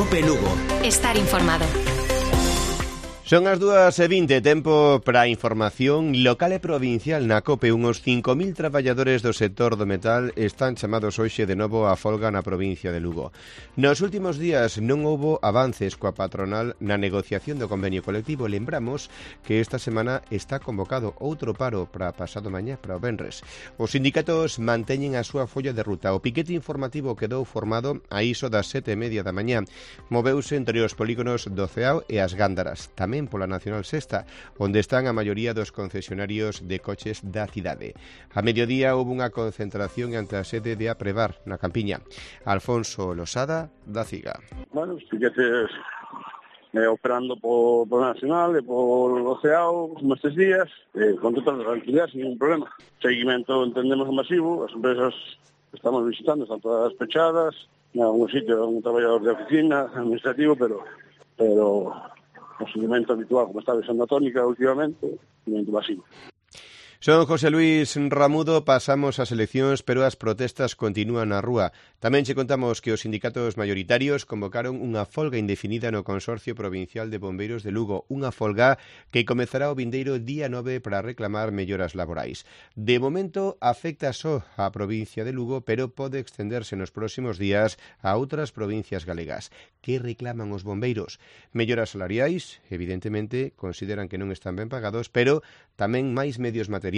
COPE Lugo. Estar informado. Son as 2:20, tempo para a información local e provincial na COPE. Uns 5.000 traballadores do sector do metal están chamados hoxe de novo a folga na provincia de Lugo. Nos últimos días non houbo avances coa patronal na negociación do convenio colectivo. Lembramos que esta semana está convocado outro paro para pasado mañá, para o venres. Os sindicatos manteñen a súa folla de ruta. O piquete informativo quedou formado a iso das 7:30 da mañá. Moveuse entre os polígonos do Ceao e as Gándaras. Tamén pola Nacional Sexta, onde están a maioría dos concesionarios de coches da cidade. A mediodía houve unha concentración ante a sede de Aprevar, na Campiña. Alfonso Losada, da CIGA. Bueno, os piquetes operando por Nacional e por Oceao como estes días, con total tranquilidade, sin ningún problema. Seguimento entendemos masivo, as empresas que estamos visitando están todas pechadas, en algún sitio un traballador de oficina, administrativo, pero o seguimento habitual, como está besando a tónica últimamente, seguimento masivo. Son José Luis Ramudo, pasamos ás eleccións, pero as protestas continúan na rúa. Tamén che contamos que os sindicatos maioritarios convocaron unha folga indefinida no Consorcio Provincial de Bombeiros de Lugo, unha folga que comezará o vindeiro día 9 para reclamar melloras laborais. De momento afecta só á provincia de Lugo, pero pode extenderse nos próximos días a outras provincias galegas. Que reclaman os bombeiros? Melloras salariais, evidentemente, consideran que non están ben pagados, pero tamén máis medios materiais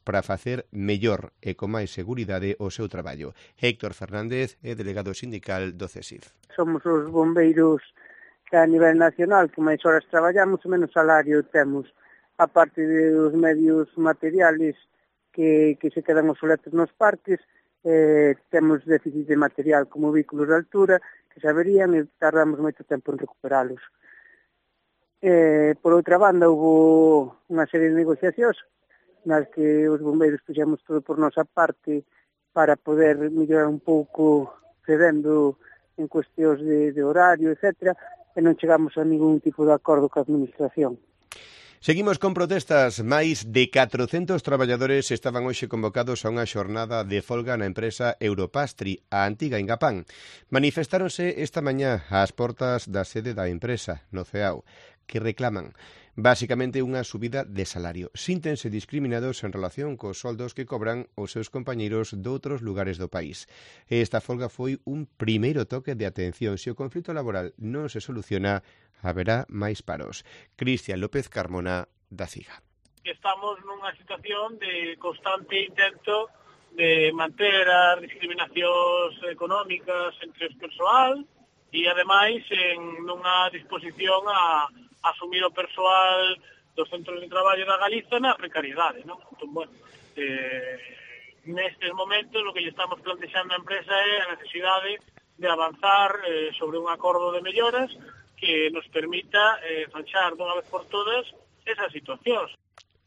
para facer mellor e con máis seguridade o seu traballo. Héctor Fernández é delegado sindical do CESIF. Somos os bombeiros que a nivel nacional que máis horas traballamos e menos salario temos, a parte dos medios materiales que se quedan obsoletos nos parques, temos déficit de material como vehículos de altura que se averían e tardamos moito tempo en recuperalos. Por outra banda, houve unha serie de negociacións nas que os bombeiros puxemos todo por nosa parte para poder mellorar un pouco cedendo en cuestións de horario, etc. E non chegamos a ningún tipo de acordo coa administración. Seguimos con protestas. Máis de 400 traballadores estaban hoxe convocados a unha xornada de folga na empresa Europastri, a antiga Ingapán. Manifestáronse esta mañá ás portas da sede da empresa, no Ceao, que reclaman basicamente unha subida de salario. Síntense discriminados en relación cos soldos que cobran os seus compañeiros doutros lugares do país. Esta folga foi un primeiro toque de atención. Se o conflito laboral non se soluciona, haberá máis paros. Cristian López Carmona, da CIGA. Estamos nunha situación de constante intento de manter as discriminacións económicas entre o persoal e, ademais, en nunha disposición a asumir o persoal dos centros de traballo da Galiza na precariedade, non? Entón, bueno, nestes momentos o que lle estamos plantexando á empresa é a necesidade de avanzar sobre un acordo de melloras que nos permita zanxar dunha vez por todas esas situacións.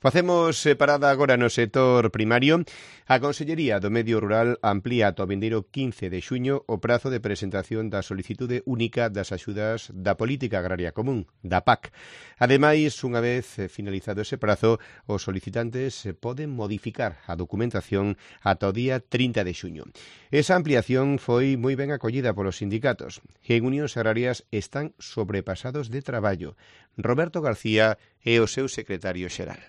Facemos parada agora no sector primario. A Consellería do Medio Rural amplía ata o vindeiro 15 de xuño o prazo de presentación da solicitude única das axudas da Política Agraria Común, da PAC. Ademais, unha vez finalizado ese prazo, os solicitantes poden modificar a documentación ata o día 30 de xuño. Esa ampliación foi moi ben acollida polos sindicatos, que en Unións Agrarias están sobrepasados de traballo. Roberto García é o seu secretario xeral.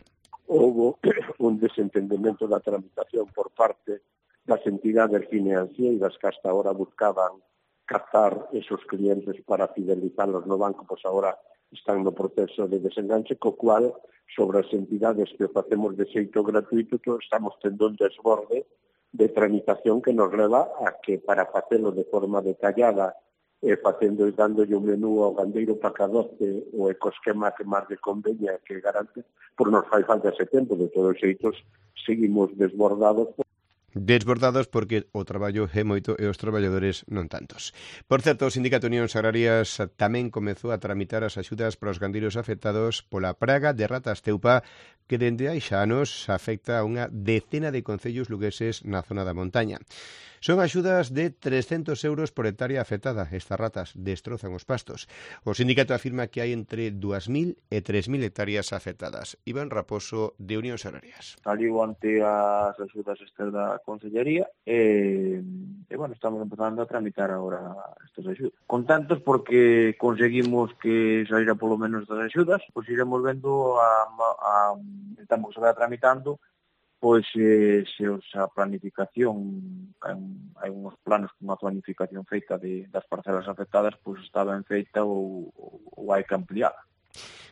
Houve un desentendemento da tramitación por parte das entidades financeiras que hasta ahora buscaban captar esos clientes para fidelizalos no banco, pois agora están no proceso de desenganche, co cual, sobre as entidades que facemos de xeito gratuito, estamos tendo un desborde de tramitación que nos leva a que para facelo de forma detallada facendo e dándolle un menú ao gandeiro para 12 o ecosquema que máis de conveña que garante, por nos fai falta ese tempo. De todos os xeitos, seguimos desbordados. Desbordados porque o traballo é moito e os traballadores non tantos. Por certo, o Sindicato Unións Agrarias tamén comezou a tramitar as axudas para os gandeiros afectados pola praga de ratas teupa que dende hai xa anos afecta a unha decena de concellos lugueses na zona da montaña. Son axudas de 300 euros por hectárea afectada. Estas ratas destrozan os pastos. O sindicato afirma que hai entre 2.000 e 3.000 hectáreas afectadas. Iván Raposo, de Unións Agrarias. Saliu ante as axudas estas Consellería e bueno, estamos empezando a tramitar agora estas axudas. Contentos porque conseguimos que saíra polo menos das axudas, pois iremos vendo estamos que se vai tramitando pois se a planificación, hai uns planos con unha planificación feita das parcelas afectadas, pois está ben feita ou hai que ampliar.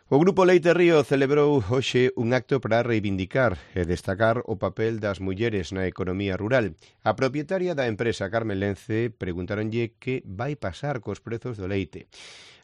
O Grupo Leite Río celebrou hoxe un acto para reivindicar e destacar o papel das mulleres na economía rural. A propietaria da empresa, Carmen Lence, preguntaronlle que vai pasar cos prezos do leite.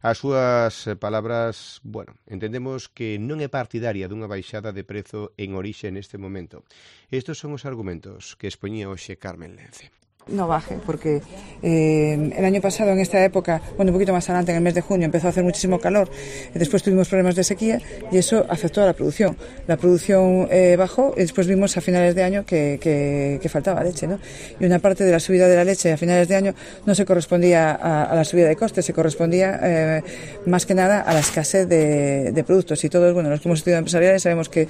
As súas palabras, entendemos que non é partidaria dunha baixada de prezo en orixe neste momento. Estes son os argumentos que expoñía hoxe Carmen Lence. No baje, porque el año pasado en esta época, un poquito más adelante, en el mes de junio, empezó a hacer muchísimo calor, después tuvimos problemas de sequía y eso afectó a la producción. La producción bajó y después vimos a finales de año que faltaba leche, ¿no? Y una parte de la subida de la leche a finales de año no se correspondía a la subida de costes, se correspondía más que nada a la escasez de productos. Y todos, los que hemos estudiado empresariales sabemos que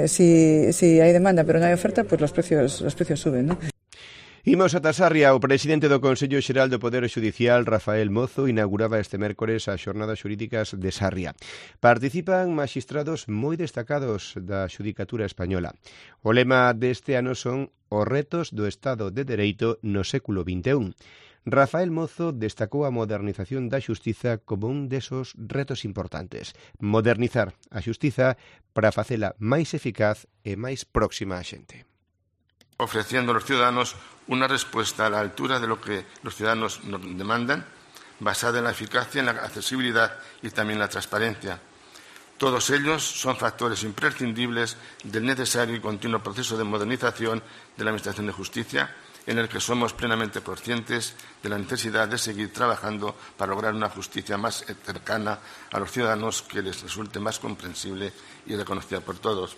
si hay demanda pero no hay oferta, pues los precios suben, ¿no? Imos ata Sarria. O presidente do Consello Xeral do Poder Xudicial, Rafael Mozo, inauguraba este mércores as xornadas xurídicas de Sarria. Participan maxistrados moi destacados da xudicatura española. O lema deste ano son os retos do Estado de Dereito no século XXI. Rafael Mozo destacou a modernización da xustiza como un desos retos importantes. Modernizar a xustiza para facela máis eficaz e máis próxima á xente. Ofreciendo a los ciudadanos una respuesta a la altura de lo que los ciudadanos nos demandan, basada en la eficacia, en la accesibilidad y también la transparencia. Todos ellos son factores imprescindibles del necesario y continuo proceso de modernización de la Administración de Justicia, en el que somos plenamente conscientes de la necesidad de seguir trabajando para lograr una justicia más cercana a los ciudadanos, que les resulte más comprensible y reconocida por todos.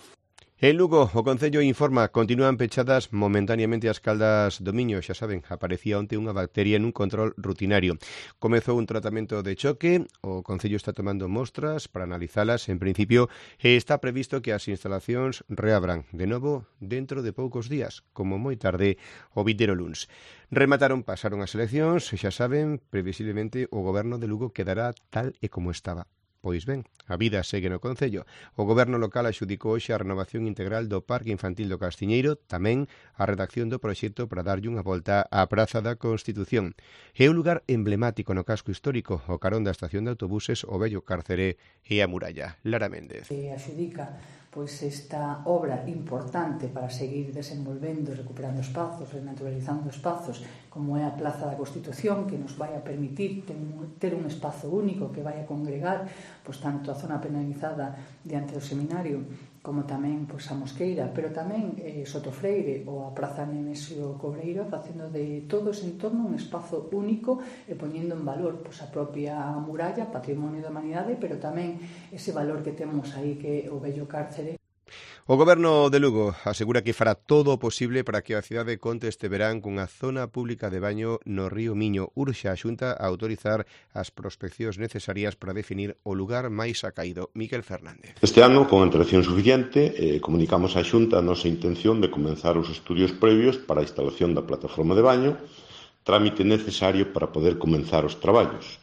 En Lugo, o Concello informa, continúan pechadas momentáneamente as caldas do Miño. Xa saben, aparecía onte unha bacteria nun control rutinario. Comezou un tratamento de choque, o Concello está tomando mostras para analizalas en principio e está previsto que as instalacións reabran de novo dentro de poucos días, como moi tarde o vindeiro luns. Pasaron as eleccións e xa saben, previsiblemente o goberno de Lugo quedará tal e como estaba. Pois ben, a vida segue no Concello. O Goberno local axudicou hoxe a renovación integral do Parque Infantil do Castiñeiro, tamén a redacción do proxecto para darlle unha volta á Praza da Constitución. É un lugar emblemático no casco histórico, o carón da estación de autobuses, o vello cárcere e a muralla. Lara Méndez. Axudica esta obra importante para seguir desenvolvendo, recuperando espazos, renaturalizando espazos, como é a Plaza da Constitución, que nos vai a permitir ter un espazo único que vai a congregar tanto a zona penalizada diante do seminario como tamén a Mosqueira, pero tamén Sotofreire ou a Praza Nemesio Cobreiro, facendo de todo ese entorno un espazo único e poñendo en valor a propia muralla, patrimonio da humanidade, pero tamén ese valor que temos aí que é o vello cárcere. O Goberno de Lugo asegura que fará todo o posible para que a cidade conte este verán cunha zona pública de baño no río Miño. Urxe a Xunta a autorizar as prospeccións necesarias para definir o lugar máis acaído. Miquel Fernández. Este ano, con antelación suficiente, comunicamos á Xunta a nosa intención de comenzar os estudios previos para a instalación da plataforma de baño, trámite necesario para poder comenzar os traballos.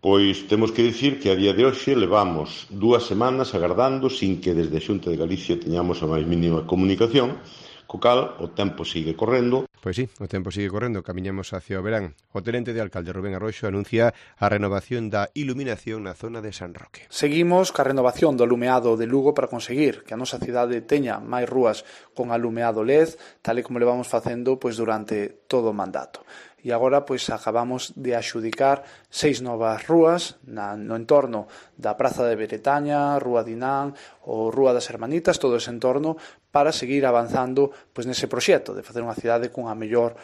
Pois temos que dicir que a día de hoxe levamos 2 semanas agardando sin que desde a Xunta de Galicia teñamos a máis mínima comunicación, co cal o tempo sigue correndo. Pois sí, o tempo sigue correndo, camiñamos hacia o verán. O tenente de alcalde Rubén Arroxo anuncia a renovación da iluminación na zona de San Roque. Seguimos ca renovación do alumeado de Lugo para conseguir que a nosa cidade teña máis rúas con alumeado LED, tal e como levamos facendo durante todo o mandato. E agora acabamos de axudicar 6 novas rúas no entorno da Praza de Beretaña, Rúa Dinán ou Rúa das Hermanitas, todo ese entorno, para seguir avanzando nese proxecto de facer unha cidade cunha mellor.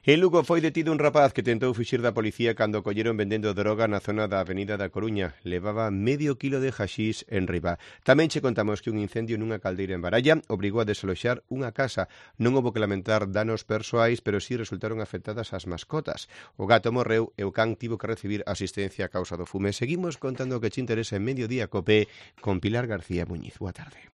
En Lugo foi detido un rapaz que tentou fuxir da policía cando o colleron vendendo droga na zona da Avenida da Coruña. Levaba medio kilo de haxís en riba. Tamén che contamos que un incendio nunha caldeira en Baralla obrigou a desaloxar unha casa. Non houbo que lamentar danos persoais, pero sí resultaron afectadas as mascotas. O gato morreu e o can tivo que recibir asistencia a causa do fume. Seguimos contando o que che interesa en Mediodía Cope con Pilar García Muñiz. Boa tarde.